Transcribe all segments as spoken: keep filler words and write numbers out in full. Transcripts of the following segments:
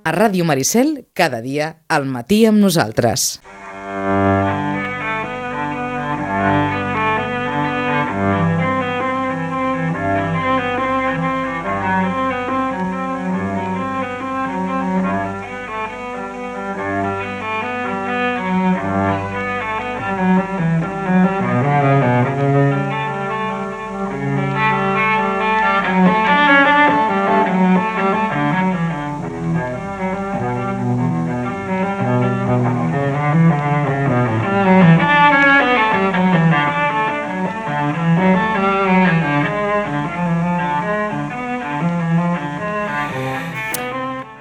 A Ràdio Maricel, cada dia, al matí amb nosaltres.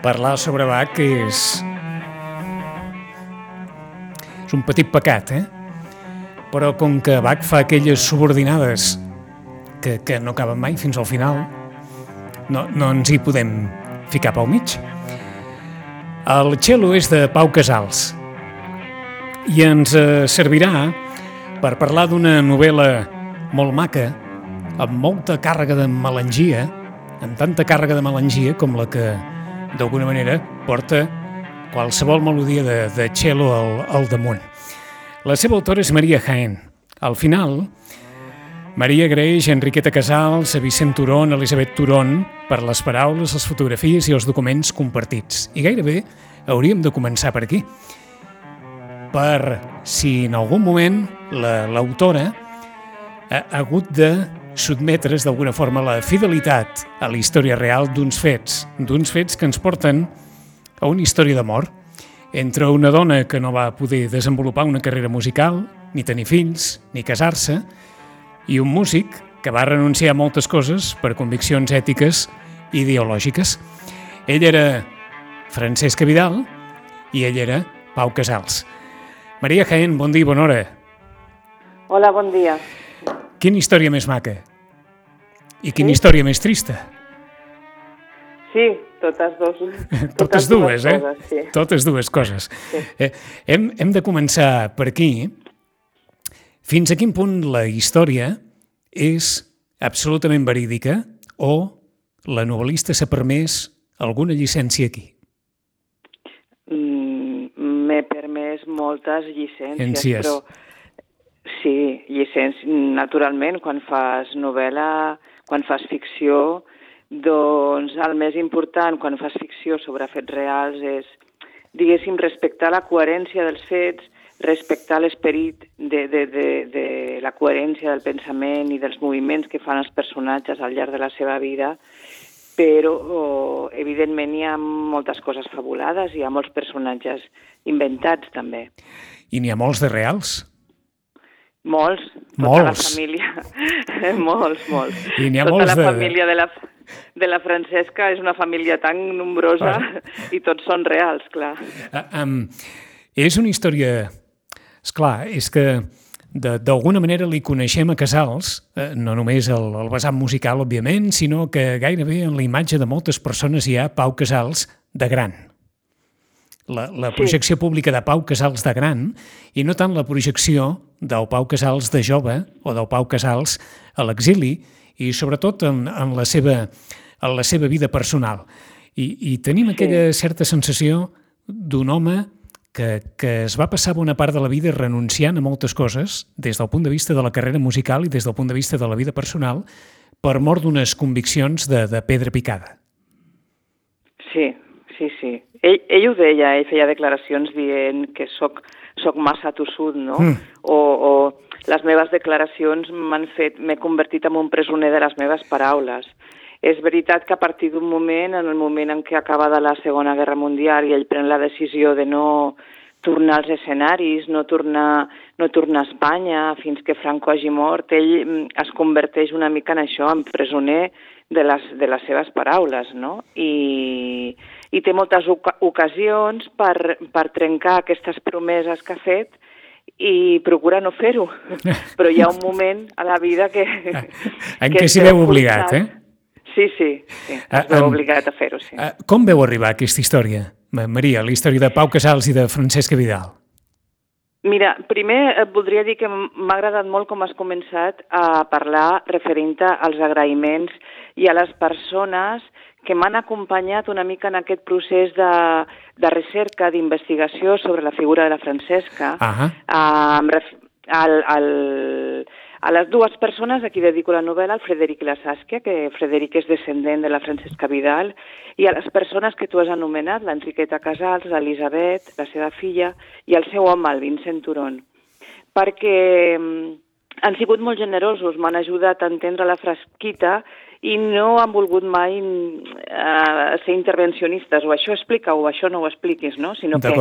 Parlar sobre Bach és... és un petit pecat, eh? Però com que Bach fa aquelles subordinades que, que no acaben mai fins al final, no, no ens hi podem ficar pel mig. El cello és de Pau Casals i ens eh, servirà per parlar d'una novel·la molt maca, amb molta càrrega de melangia, amb tanta càrrega de melangia com la que d'alguna manera porta qualsevol melodia de, de cello al, al damunt. La seva autora és Maria Jaén. Al final, Maria agraeix a Enriqueta Casals, a Vicent Turón, a Elisabet Turón per les paraules, les fotografies i els documents compartits. I gairebé hauríem de començar per aquí. Per si en algun moment la, l'autora ha, ha hagut de sotmetre's d'alguna forma a la fidelitat a la història real d'uns fets, d'uns fets que ens porten a una història d'amor entre una dona que no va poder desenvolupar una carrera musical, ni tenir fills, ni casar-se, i un músic que va renunciar a moltes coses per conviccions ètiques i ideològiques. Ell era Francesca Vidal i ell era Pau Casals. Maria Jaén, bon dia i bona hora. Hola, bon dia. Quina història més maca? I quina sí? història més trista? Sí, totes dues. Totes, totes dues, eh? Coses, sí. Totes dues coses. Sí. Eh, hem, hem de començar per aquí. Fins a quin punt la història és absolutament verídica o la novel·lista s'ha permès alguna llicència aquí? Mm, m'he permès moltes llicències, Llicències. però... Sí, llicència, naturalment, quan fas novel·la, quan fas ficció, doncs el més important quan fas ficció sobre fets reals és, diguéssim, respectar la coherència dels fets, respectar l'esperit de, de, de, de la coherència del pensament i dels moviments que fan els personatges al llarg de la seva vida, però, oh, evidentment, hi ha moltes coses fabulades, hi ha molts personatges inventats, també. I n'hi ha molts de reals? Molts, tota molts. la família, molts, molts. I n'hi ha tota molts la de... família de la, de la Francesca és una família tan nombrosa ah. i tots són reals, clar. Uh, um, és una història... Esclar, és que de, d'alguna manera li coneixem a Casals, eh, no només el, el vessant musical, òbviament, sinó que gairebé en la imatge de moltes persones hi ha Pau Casals de gran. La, la projecció sí. pública de Pau Casals de gran i no tant la projecció del Pau Casals de jove o del Pau Casals a l'exili i sobretot en, en, la, seva, en la seva vida personal. I, i tenim sí. aquella certa sensació d'un home que, que es va passar bona part de la vida renunciant a moltes coses des del punt de vista de la carrera musical i des del punt de vista de la vida personal per mor d'unes conviccions de, de pedra picada. Sí, sí, sí. Ell, ell ho deia, ell feia declaracions dient que soc, soc massa tossut, no? Mm. O, o les meves declaracions m'han fet, m'he convertit en un presoner de les meves paraules. És veritat que a partir d'un moment, en el moment en què acaba de la Segona Guerra Mundial i ell pren la decisió de no tornar als escenaris, no tornar, no tornar a Espanya fins que Franco hagi mort, ell es converteix una mica en això, en presoner de les, de les seves paraules, no? I... i té moltes ocasions per, per trencar aquestes promeses que ha fet i procura no fer-ho. Però hi ha un moment a la vida que... En què s'hi veu obligat, eh? Sí, sí, sí, es veu obligat a fer-ho, sí. Com veu arribar aquesta història, Maria, la història de Pau Casals i de Francesca Vidal? Mira, primer et voldria dir que m'ha agradat molt com has començat a parlar referint als agraïments i a les persones que m'han acompanyat una mica en aquest procés de, de recerca, d'investigació sobre la figura de la Francesca. Uh-huh. Uh, al, al, a les dues persones a qui dedico la novel·la, el Frederic i la Saskia, que Frederic és descendent de la Francesca Vidal, i a les persones que tu has anomenat, l'Enriqueta Casals, l'Elisabet, la seva filla, i el seu home, el Vincent Turon. Perquè han sigut molt generosos, m'han ajudat a entendre la Frasquita i no han volgut mai uh, ser intervencionistes, o això explica o això no ho expliquis, no? Sinó que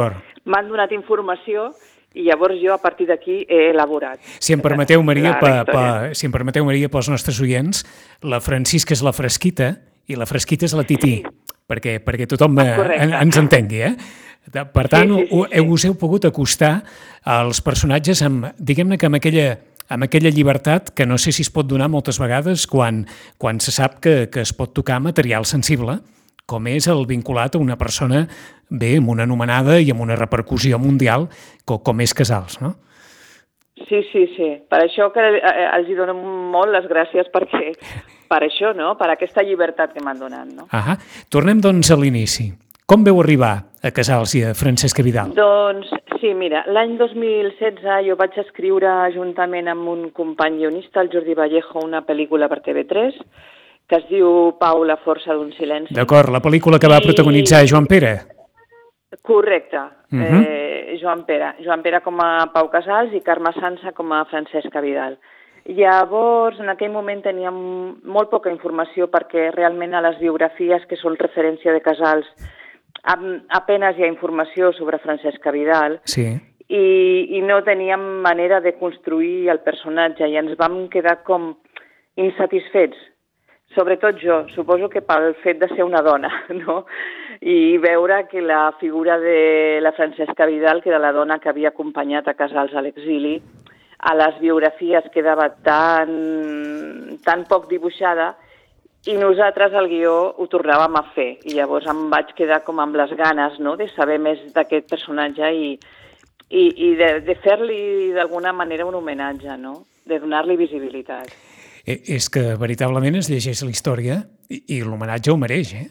m'han donat informació i llavors jo a partir d'aquí he elaborat. Si em permeteu, Maria, pa, pa, si em permeteu, Maria, pels nostres oients, la Francisca és la Frasquita i la Frasquita és la Tití, sí. perquè, perquè tothom en, ens entengui, eh? Per tant, sí, sí, sí, sí. us heu pogut acostar als personatges amb, diguem-ne que amb aquella, amb aquella llibertat que no sé si es pot donar moltes vegades quan, quan se sap que, que es pot tocar material sensible, com és el vinculat a una persona bé, amb una anomenada i amb una repercussió mundial com, com és Casals, no? Sí, sí, sí. Per això que els hi dono molt les gràcies perquè, per això, no? Per aquesta llibertat que m'han donat, no? Ahà. Tornem, doncs, a l'inici. Com veu arribar a Casals i a Francesca Vidal? Doncs, sí, mira, l'any dos mil setze jo vaig escriure juntament amb un company guionista, el Jordi Vallejo, una pel·lícula per T V tres, que es diu Pau, la força d'un silenci. D'acord, la pel·lícula que va I... protagonitzar Joan Pere. Correcte, uh -huh. eh, Joan Pere. Joan Pere com a Pau Casals i Carme Sansa com a Francesca Vidal. Llavors, en aquell moment teníem molt poca informació perquè realment a les biografies que són referència de Casals apenas hi ha informació sobre Francesca Vidal sí. i, i no teníem manera de construir el personatge i ens vam quedar com insatisfets. Sobretot jo, suposo que pel fet de ser una dona, no? I veure que la figura de la Francesca Vidal, que era la dona que havia acompanyat a Casals a l'exili, a les biografies quedava tan, tan poc dibuixada i nosaltres al guió ho tornàvem a fer. I llavors em vaig quedar com amb les ganes, no?, de saber més d'aquest personatge i, i, i de, de fer-li d'alguna manera un homenatge, no?, de donar-li visibilitat. És que veritablement es llegeix la història i, i l'homenatge ho mereix, eh?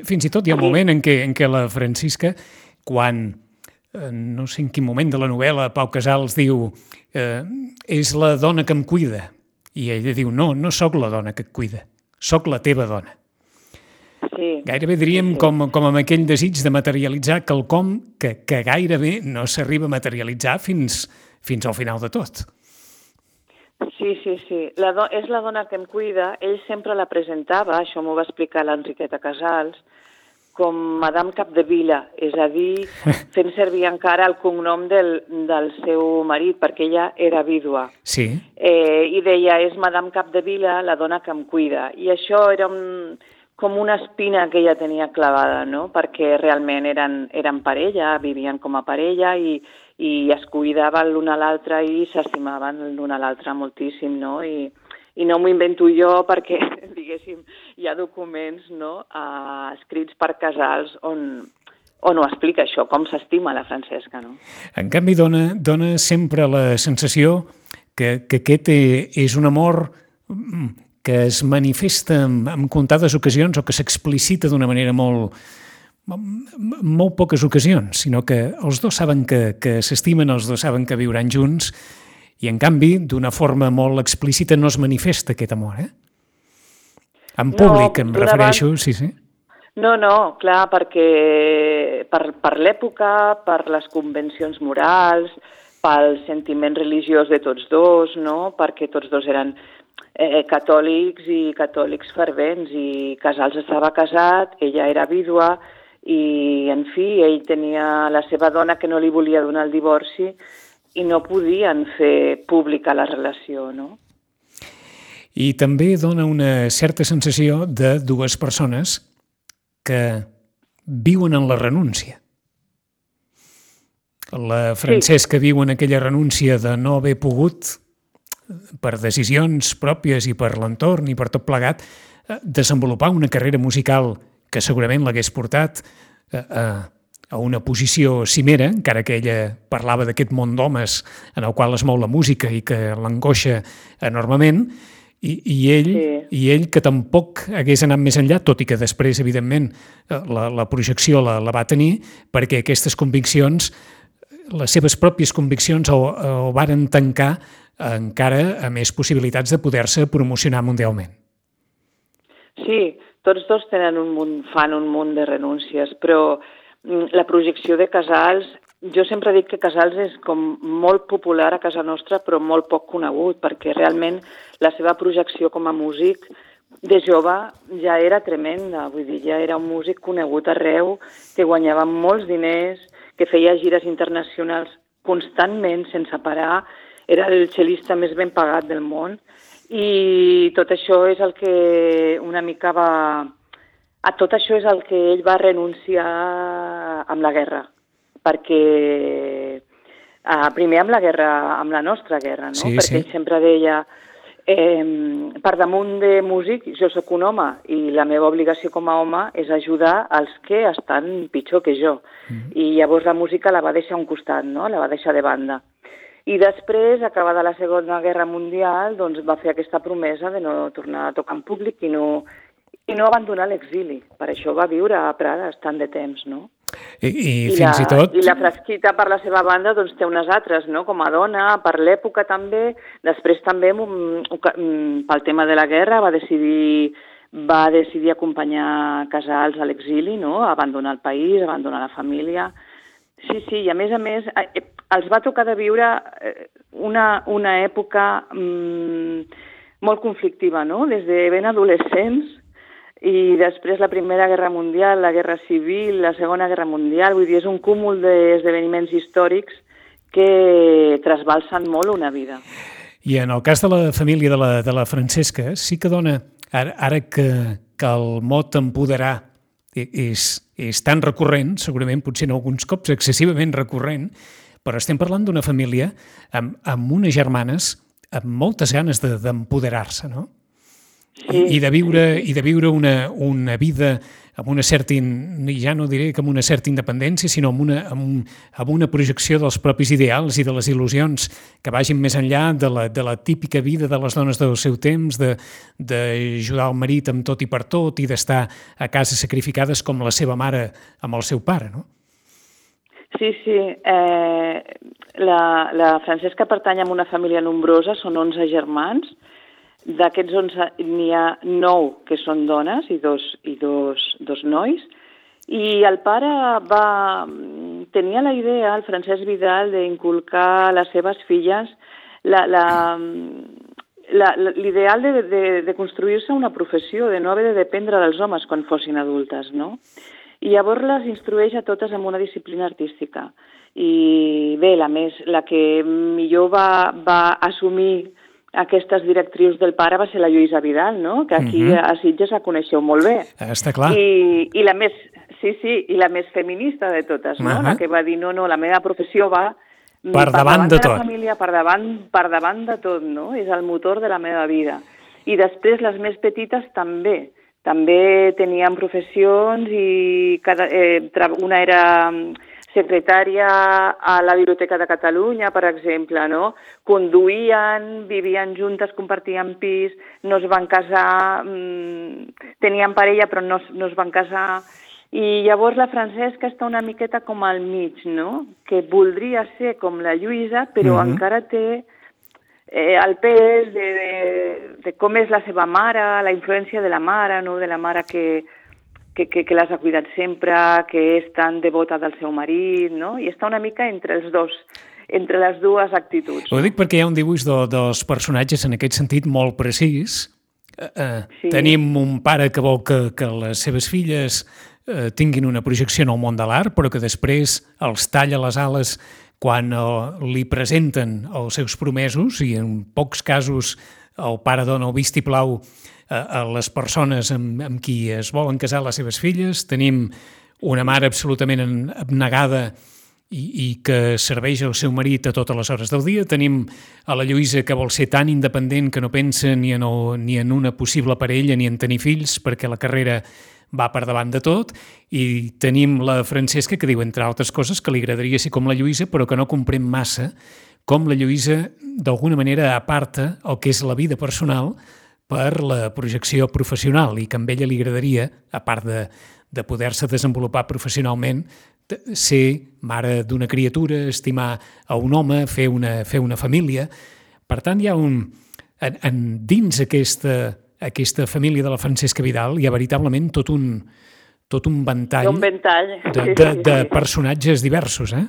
Fins i tot hi ha un moment en què, en què la Francisca, quan, eh, no sé en quin moment de la novel·la, Pau Casals diu eh, és la dona que em cuida. I ella diu, no, no sóc la dona que et cuida, sóc la teva dona. Sí. Gairebé diríem sí. com, com amb aquell desig de materialitzar quelcom que, que gairebé no s'arriba a materialitzar fins, fins al final de tot. Sí, sí, sí. La do- és la dona que em cuida. Ell sempre la presentava, això m'ho va explicar l'Enriqueta Casals, com Madame Capdevila, és a dir, fent servir encara el cognom del, del seu marit, perquè ella era vídua. Sí. Eh, I deia, és Madame Capdevila, la dona que em cuida. I això era un, com una espina que ella tenia clavada, no?, perquè realment eren, eren parella, vivien com a parella i i es cuidaven l'un a l'altre i s'estimaven l'un a l'altre moltíssim, no? I, i no m'ho invento jo perquè, diguéssim, hi ha documents, no?, uh, escrits per Casals on, on ho explica això, com s'estima la Francesca, no? En canvi, dona, dona sempre la sensació que, que aquest és un amor que es manifesta en, en comptades ocasions o que s'explicita d'una manera molt... molt poques ocasions, sinó que els dos saben que, que s'estimen, els dos saben que viuran junts i, en canvi, d'una forma molt explícita no es manifesta aquest amor, eh? En públic, no, em refereixo, abans... sí, sí. No, no, clar, perquè per, per l'època, per les convencions morals, pel sentiment religiós de tots dos, no?, perquè tots dos eren eh, catòlics i catòlics fervents i Casals estava casat, ella era vídua, i, en fi, ell tenia la seva dona que no li volia donar el divorci i no podien fer pública la relació, no? I també dona una certa sensació de dues persones que viuen en la renúncia. La Francesca sí. viu en aquella renúncia de no haver pogut, per decisions pròpies i per l'entorn i per tot plegat, desenvolupar una carrera musical que segurament l'hagués portat a, a una posició cimera, encara que ella parlava d'aquest món d'homes en el qual es mou la música i que l'angoixa enormement, I, i, ell, sí. I ell que tampoc hagués anat més enllà, tot i que després, evidentment, la, la projecció la, la va tenir, perquè aquestes conviccions, les seves pròpies conviccions, ho, ho varen tancar encara a més possibilitats de poder-se promocionar mundialment. Sí, tots dos tenen un munt, fan un munt de renúncies, però la projecció de Casals, jo sempre dic que Casals és com molt popular a casa nostra però molt poc conegut, perquè realment la seva projecció com a músic de jove ja era tremenda, vull dir, ja era un músic conegut arreu, que guanyava molts diners, que feia gires internacionals constantment, sense parar, era el cel·lista més ben pagat del món, i tot això és el que una mica va... A tot això és el que ell va renunciar amb la guerra, perquè eh, primer amb la guerra, amb la nostra guerra, no? Sí, perquè sí. ell sempre deia, eh, per damunt de músic, jo sóc un home i la meva obligació com a home és ajudar els que estan pitjor que jo. Mm-hmm. I llavors la música la va deixar a un costat, no? La va deixar de banda. I després, acabada la Segona Guerra Mundial, doncs va fer aquesta promesa de no tornar a tocar en públic i no... i no abandonar l'exili. Per això va viure a Prades tant de temps, no? I, i, I fins la, i tot... I la Frasquita, per la seva banda, doncs té unes altres, no? Com a dona, per l'època també. Després també, pel tema de la guerra, va decidir, va decidir acompanyar Casals a l'exili, no? Abandonar el país, abandonar la família. Sí, sí, i a més a més, els va tocar de viure una, una època mmm, molt conflictiva, no? Des de ben adolescents, i després la Primera Guerra Mundial, la Guerra Civil, la Segona Guerra Mundial, vull dir, és un cúmul d'esdeveniments històrics que trasbalsen molt una vida. I en el cas de la família de la, de la Francesca, sí que dona, ara, ara que, que el mot empoderar és, és tan recurrent, segurament potser en alguns cops excessivament recurrent, però estem parlant d'una família amb, amb unes germanes amb moltes ganes de, d'empoderar-se, no? Sí, I de viure, sí. i de viure una, una vida amb una certa, ja no diré que amb una certa independència, sinó amb una, amb, amb una projecció dels propis ideals i de les il·lusions que vagin més enllà de la, de la típica vida de les dones del seu temps, d'ajudar el marit amb tot i per tot i d'estar a casa sacrificades com la seva mare amb el seu pare, no? Sí, sí. Eh, la, la Francesca pertany a una família nombrosa, són onze germans. D'aquests onze n'hi ha nou que són dones i dos, i dos, dos nois. I el pare va tenia la idea, el Francesc Vidal, d'inculcar a les seves filles la, la, la, l'ideal de, de, de construir-se una professió, de no haver de dependre dels homes quan fossin adultes, no? I llavors les instrueix a totes en una disciplina artística. I bé, la, més, la que millor va, va assumir aquestes directrius del pare va ser la Lluïsa Vidal, no? Que aquí uh-huh. a Sitges la coneixeu molt bé. Està clar. I, i la més, sí, sí, i la més feminista de totes, no? Uh-huh. La que va dir, no, no, la meva professió va per, per davant, davant de, de tot. La família, per davant, per davant de tot, no? És el motor de la meva vida. I després les més petites també. També tenien professions i cada, eh, una era secretària a la Biblioteca de Catalunya, per exemple, no? Conduïen, vivien juntes, compartien pis, no es van casar, mmm, tenien parella però no, no es van casar. I llavors la Francesca està una miqueta com al mig, no? Que voldria ser com la Lluïsa, però mm-hmm. encara té eh, el pes de, de, de com és la seva mare, la influència de la mare, no? De la mare que... que, que, que les ha cuidat sempre, que és tan devota del seu marit, no? I està una mica entre els dos, entre les dues actituds. Ho dic perquè hi ha un dibuix de, dels personatges en aquest sentit molt precís. Eh, sí. Tenim un pare que vol que, que les seves filles eh, tinguin una projecció en el món de l'art, però que després els talla les ales quan eh, li presenten els seus promesos, i en pocs casos el pare dona el vistiplau a les persones amb, amb qui es volen casar les seves filles. Tenim una mare absolutament abnegada i, i que serveix al seu marit a totes les hores del dia. Tenim a la Lluïsa que vol ser tan independent que no pensa ni en, el, ni en una possible parella ni en tenir fills perquè la carrera va per davant de tot. I tenim la Francesca que diu, entre altres coses, que li agradaria ser com la Lluïsa però que no comprèn massa com la Lluïsa d'alguna manera aparta el que és la vida personal per la projecció professional i que a ella li agradaria, a part de, de poder-se desenvolupar professionalment, ser mare d'una criatura, estimar a un home, fer una, fer una família. Per tant, hi ha un... En, en, dins aquesta, aquesta família de la Francesca Vidal hi ha veritablement tot un, tot un ventall, un ventall. de, de, de personatges diversos, eh?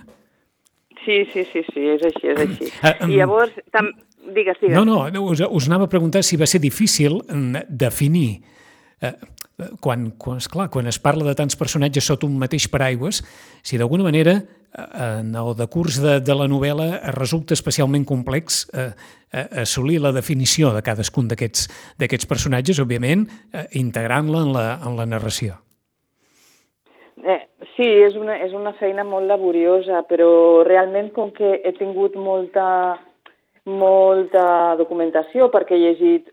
Sí, sí, sí, sí, és així, és així. Uh, um, I llavors, tam... digues, digues. No, no, us, us anava a preguntar si va ser difícil definir, eh, quan, quan, esclar, quan es parla de tants personatges sota un mateix paraigües, si d'alguna manera en el decurs de, de la novel·la resulta especialment complex eh, assolir la definició de cadascun d'aquests d'aquests personatges, òbviament, eh, integrant-la en, la, en la narració. Eh, sí, és una, és una feina molt laboriosa, però realment com que he tingut molta, molta documentació, perquè he llegit,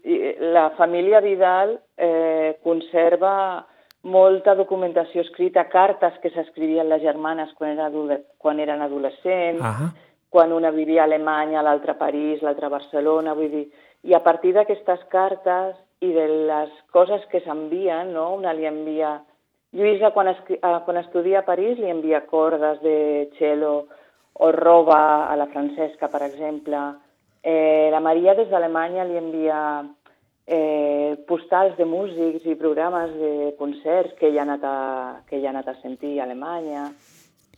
la família Vidal eh, conserva molta documentació escrita, cartes que s'escrivien les germanes quan, era quan eren adolescents, uh-huh. quan una vivia a Alemanya, l'altra a París, l'altra a Barcelona, vull dir, i a partir d'aquestes cartes i de les coses que s'envien, no? Una li envia... Lluïsa, quan, es, quan estudia a París, li envia cordes de cello o roba a la Francesca, per exemple. Eh, la Maria, des d'Alemanya, li envia eh, postals de músics i programes de concerts que ella ha anat a, que ella ha anat a sentir a Alemanya.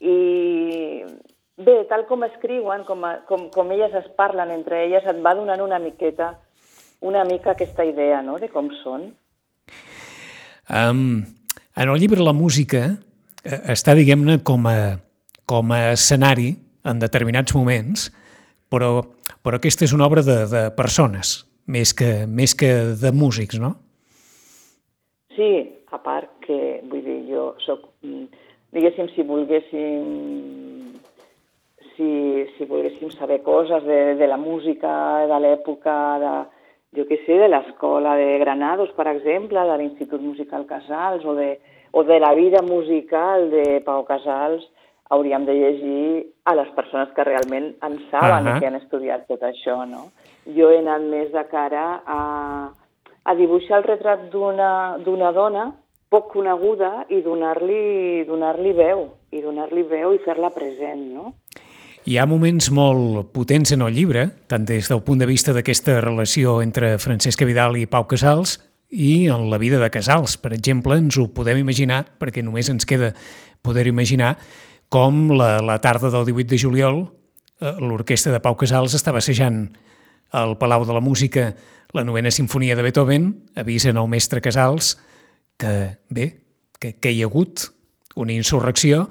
I bé, tal com escriuen, com, a, com, com elles es parlen entre elles, et va donant una miqueta, una mica aquesta idea, no?, de com són. Um... En el llibre la música eh, està, diguem-ne, com a, com a escenari en determinats moments, però, però aquesta és una obra de, de persones, més que, més que de músics, no? Sí, a part que, vull dir, jo soc, diguéssim, si volguéssim, si, si volguéssim saber coses de, de la música, de l'època, de... jo què sé, de l'escola de Granados, per exemple, de l'Institut Musical Casals, o de, o de la vida musical de Pau Casals, hauríem de llegir a les persones que realment en saben uh-huh. i que han estudiat tot això, no? Jo he anat més de cara a, a dibuixar el retrat d'una d'una dona poc coneguda i donar-li donar-li veu, i donar-li veu i fer-la present, no? Hi ha moments molt potents en el llibre, tant des del punt de vista d'aquesta relació entre Francesca Vidal i Pau Casals i en la vida de Casals. Per exemple, ens ho podem imaginar, perquè només ens queda poder imaginar, com la, la tarda del divuit de juliol eh, l'orquestra de Pau Casals estava assajant al Palau de la Música la novena sinfonia de Beethoven, avisen al mestre Casals que, bé, que, que hi ha hagut una insurrecció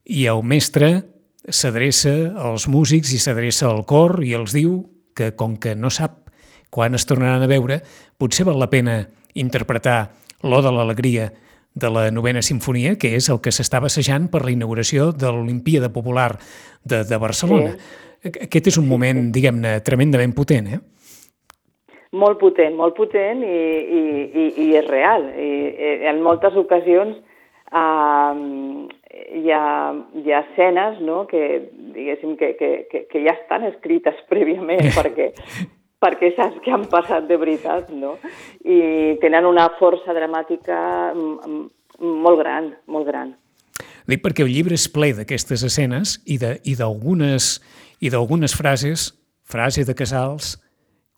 i el mestre s'adreça als músics i s'adreça al cor i els diu que, com que no sap quan es tornaran a veure, potser val la pena interpretar l'Oda a l'alegria de la novena sinfonia, que és el que s'estava assajant per la inauguració de l'Olimpíada Popular de, de Barcelona. Sí. Aquest és un moment, diguem-ne, tremendament potent, eh? Molt potent, molt potent i, i, i, i és real. I, i en moltes ocasions Uh, hi, ha, hi ha escenes, no?, que, diguéssim, que, que, que, que ja estan escrites prèviament perquè, perquè saps que han passat de veritat, no? I tenen una força dramàtica molt gran, molt gran. Dic perquè el llibre és ple d'aquestes escenes i d'algunes i d'algunes frases, frase de Casals,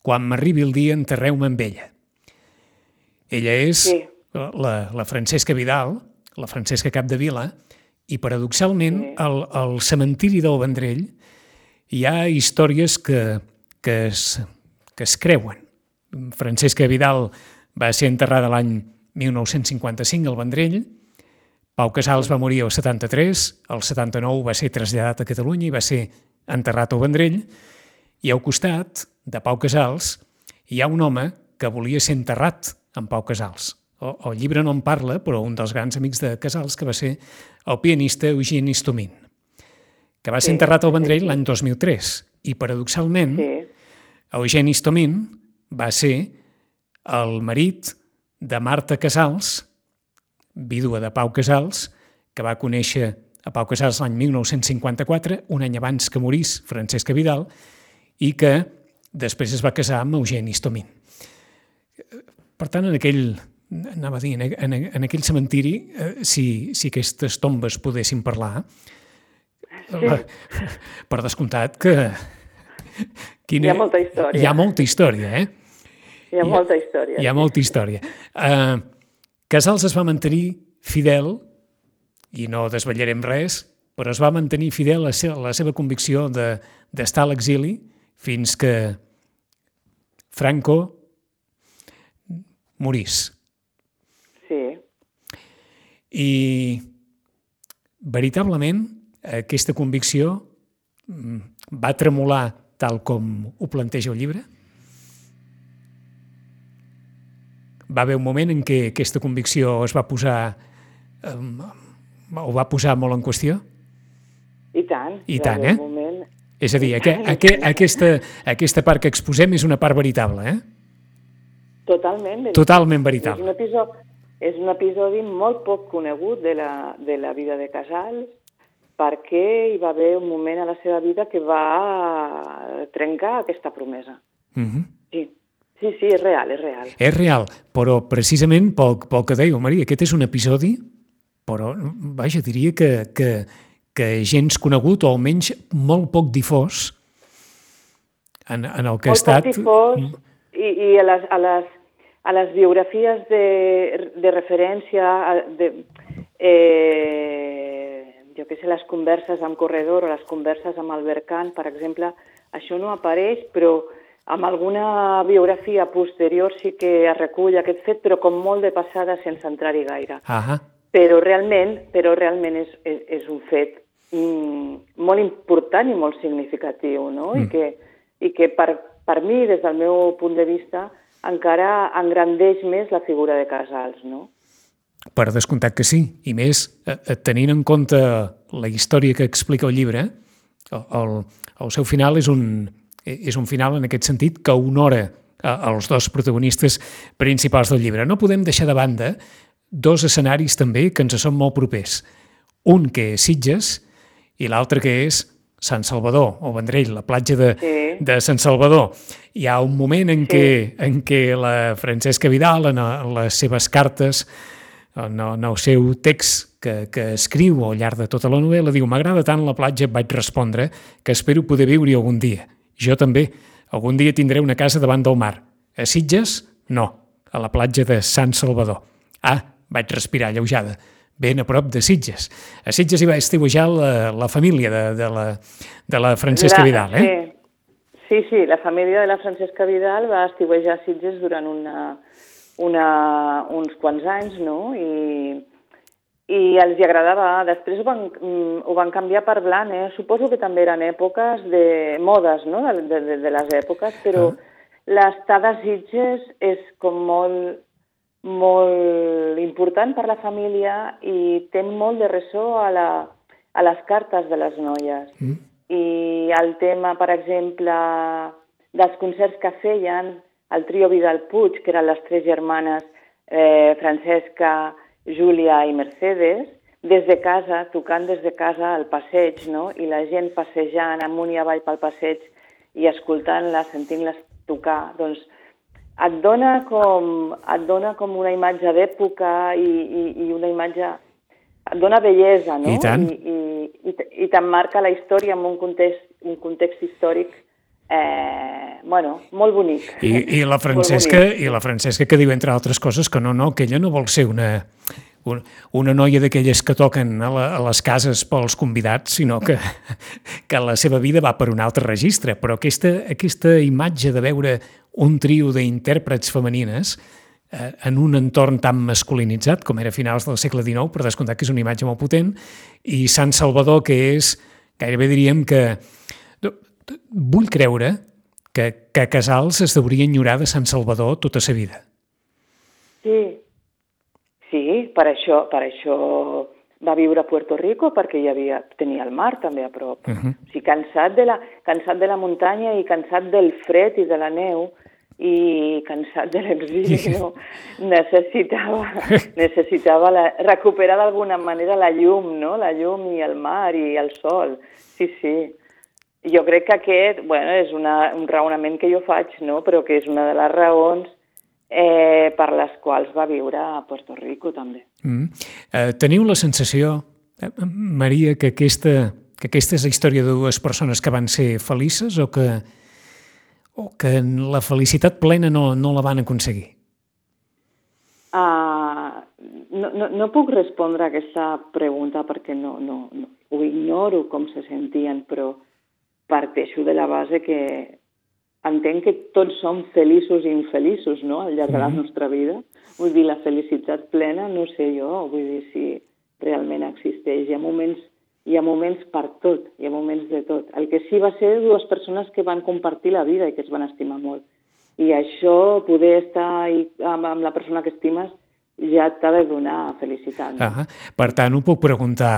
quan m'arribi el dia enterreu-me amb ella. Ella és sí. la, la Francesca Vidal, la Francesca Capdevila, i paradoxalment sí. al, al cementiri del Vendrell hi ha històries que, que, es, que es creuen. Francesca Vidal va ser enterrada l'any mil nou-cents cinquanta-cinc al Vendrell, Pau Casals va morir al setanta-tres, al setanta-nou va ser traslladat a Catalunya i va ser enterrat al Vendrell, i al costat de Pau Casals hi ha un home que volia ser enterrat amb Pau Casals. El, el llibre no en parla, però un dels grans amics de Casals, que va ser el pianista Eugeni Istomin, que va ser sí, enterrat al Vendrell sí. l'any dos mil tres. I, paradoxalment, sí. Eugeni Istomin va ser el marit de Marta Casals, vídua de Pau Casals, que va conèixer a Pau Casals l'any mil nou-cents cinquanta-quatre, un any abans que morís Francesca Vidal, i que després es va casar amb Eugeni Istomin. Per tant, en aquell, anava a dir, en, en, en aquell cementiri, eh, si, si aquestes tombes poguessin parlar, Sí. la, per descomptat que... Quina, Hi ha molta història. Hi ha molta història, eh? Hi ha molta història. Hi ha molta història. Uh, Casals es va mantenir fidel, i no desvetllarem res, però es va mantenir fidel a la seva convicció d'estar a l'exili fins que Franco morís. Sí. I veritablement aquesta convicció va tremolar tal com ho planteja el llibre? Va haver un moment en què aquesta convicció es va posar um, o va posar molt en qüestió? I tant. I tant, eh? Moment... És a dir, aqu aqu aquesta, aquesta part que exposem és una part veritable, eh? Totalment veritable. Totalment veritable. És un episodi, és un episodi molt poc conegut de la, de la vida de Casals, perquè hi va haver un moment a la seva vida que va trencar aquesta promesa. Mm-hmm. Sí. Sí, sí, és real, és real. És real, però precisament pel, pel que dèieu, Maria, aquest és un episodi, però, vaja, diria que, que, que gens conegut, o almenys molt poc difós, en, en el que molt ha estat... Molt poc difós, i, i a, les, a, les, a les biografies de, de referència, de, eh, jo què sé, les converses amb Corredor o les converses amb Albert Kahn, per exemple, això no apareix, però amb alguna biografia posterior sí que es recull aquest fet, però com molt de passada sense entrar-hi gaire. Ahà. Però realment, però realment és, és, és un fet mm, molt important i molt significatiu, no? Mm. I que, i que per, per mi, des del meu punt de vista, encara engrandeix més la figura de Casals, no? Per descomptat que sí, i més tenint en compte la història que explica el llibre, el, el, el seu final és un... és un final en aquest sentit que honora els dos protagonistes principals del llibre. No podem deixar de banda dos escenaris també que ens són molt propers. Un que és Sitges i l'altre que és Sant Salvador, o Vendrell, la platja de, sí. de Sant Salvador. Hi ha un moment en, sí. què, en què la Francesca Vidal, en, en les seves cartes, en, en el seu text que, que escriu al llarg de tota la novel·la, diu: «M'agrada tant la platja», vaig respondre, «que espero poder viure-hi algun dia. Jo també. Algun dia tindré una casa davant del mar. A Sitges, no. A la platja de Sant Salvador». Ah, vaig respirar alleujada. Ben a prop de Sitges. A Sitges hi va estiuejar la, la família de, de, la, de la Francesca la, Vidal, eh? Sí. sí, sí, la família de la Francesca Vidal va estiuejar a Sitges durant una, una, uns quants anys, no? I... i els hi agradava. Després ho van, ho van canviar per Blanes. Suposo que també eren èpoques de modes, no?, de, de, de les èpoques, però ah. l'estada a Sitges és com molt, molt important per la família i té molt de ressò a, la, a les cartes de les noies. Mm. I el tema, per exemple, dels concerts que feien, el trio Vidal Puig, que eren les tres germanes, eh, Francesca, Júlia i Mercedes, des de casa, tocant des de casa al passeig, no? I la gent passejant amunt i avall pel passeig i escoltant-les, sentint-les tocar, doncs et dona com, et dona com una imatge d'època i, i, i una imatge... et dona bellesa, no? I tant. I, i, i, i t'emmarca la història en un context, un context històric eh, bueno, molt bonic. I, i, la Francesca, I la Francesca que diu, entre altres coses, que no, no, que ella no vol ser una, una, una noia d'aquelles que toquen a, la, a les cases pels convidats, sinó que, que la seva vida va per un altre registre. Però aquesta, aquesta imatge de veure un trio d'intèrprets femenines eh, en un entorn tan masculinitzat com era a finals del segle dinou, per descomptat que és una imatge molt potent, i Sant Salvador, que és, gairebé diríem que... Vull creure que, que Casals es deuria enyorar de Sant Salvador tota sa vida. Sí, sí, per això, per això va viure a Puerto Rico, perquè hi havia, tenia el mar també a prop. Uh-huh. O sigui, cansat de, la, cansat de la muntanya i cansat del fred i de la neu i cansat de l'exili, no? necessitava, necessitava la, recuperar d'alguna manera la llum, no? La llum i el mar i el sol. Sí, sí. Jo crec que aquest, bueno, és una, un raonament que jo faig, no? Però que és una de les raons eh, per les quals va viure a Puerto Rico, també. Mm. Eh, teniu la sensació, eh, Maria, que aquesta, que aquesta és la història de dues persones que van ser felices o que, o que la felicitat plena no, no la van aconseguir? Uh, no, no, no puc respondre a aquesta pregunta perquè no, no, no, ho ignoro com se sentien, però parteixo de la base que entenc que tots som feliços i infeliços, no?, al llarg de la nostra vida. Vull dir, la felicitat plena, no sé jo, vull dir si realment existeix. Hi ha moments, hi ha moments per tot, hi ha moments de tot. El que sí va ser dues persones que van compartir la vida i que es van estimar molt. I això, poder estar amb, amb la persona que estimes, ja t'ha de donar felicitat. No? Ah, per tant, ho puc preguntar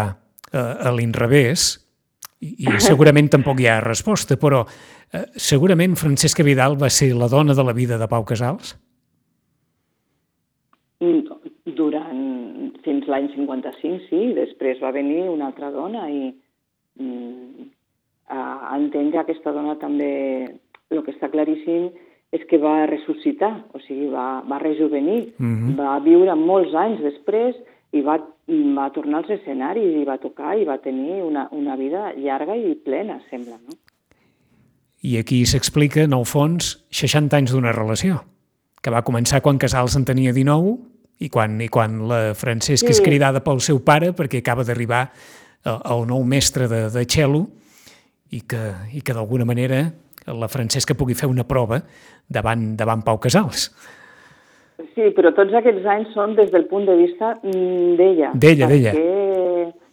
a, a l'inrevés, i, i segurament tampoc hi ha resposta, però eh, segurament Francesca Vidal va ser la dona de la vida de Pau Casals? Durant, fins l'any cinquanta-cinc, sí. Després va venir una altra dona i mm, uh, entenc que aquesta dona també, el que està claríssim, és que va ressuscitar, o sigui, va, va rejuvenir, mm-hmm. va viure molts anys després i va, va tornar als escenaris i va tocar i va tenir una, una vida llarga i plena, sembla, no? I aquí s'explica, en el fons, seixanta anys d'una relació, que va començar quan Casals en tenia dinou i quan, i quan la Francesca sí. és cridada pel seu pare perquè acaba d'arribar el nou mestre de, de cello i que, i que d'alguna manera la Francesca pugui fer una prova davant, davant Pau Casals. Sí, però tots aquests anys són des del punt de vista d'ella. D'ella, d'ella.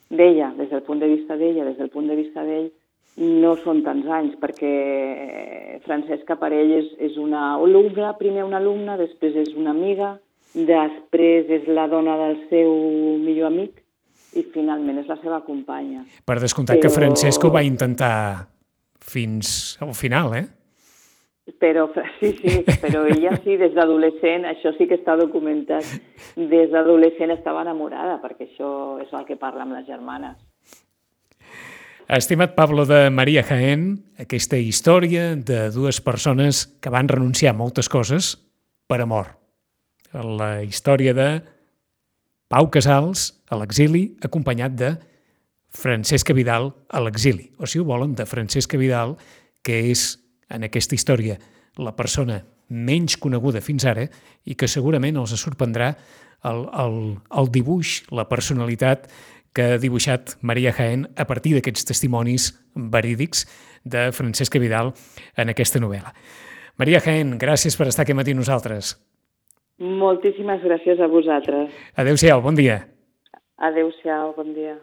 D'ella, des del punt de vista d'ella, des del punt de vista d'ell, no són tants anys, perquè Francesca per ell és, és una alumna, primer una alumna, després és una amiga, després és la dona del seu millor amic i finalment és la seva companya. Per descomptat però... que Francesca ho va intentar fins al final, eh? Però, sí, sí, però ella sí, des d'adolescent, això sí que està documentat, des d'adolescent estava enamorada, perquè això és el que parla amb les germanes. Estimat Pablo de María Jaén, aquesta història de dues persones que van renunciar a moltes coses per amor. La història de Pau Casals a l'exili, acompanyat de Francesca Vidal a l'exili, o si ho volen, de Francesca Vidal, que és, en aquesta història, la persona menys coneguda fins ara i que segurament els sorprendrà el, el, el dibuix, la personalitat que ha dibuixat María Jaén a partir d'aquests testimonis verídics de Francesca Vidal en aquesta novel·la. María Jaén, gràcies per estar aquest matí amb nosaltres. Moltíssimes gràcies a vosaltres. Adéu-siau, bon dia. Adéu-siau, bon dia.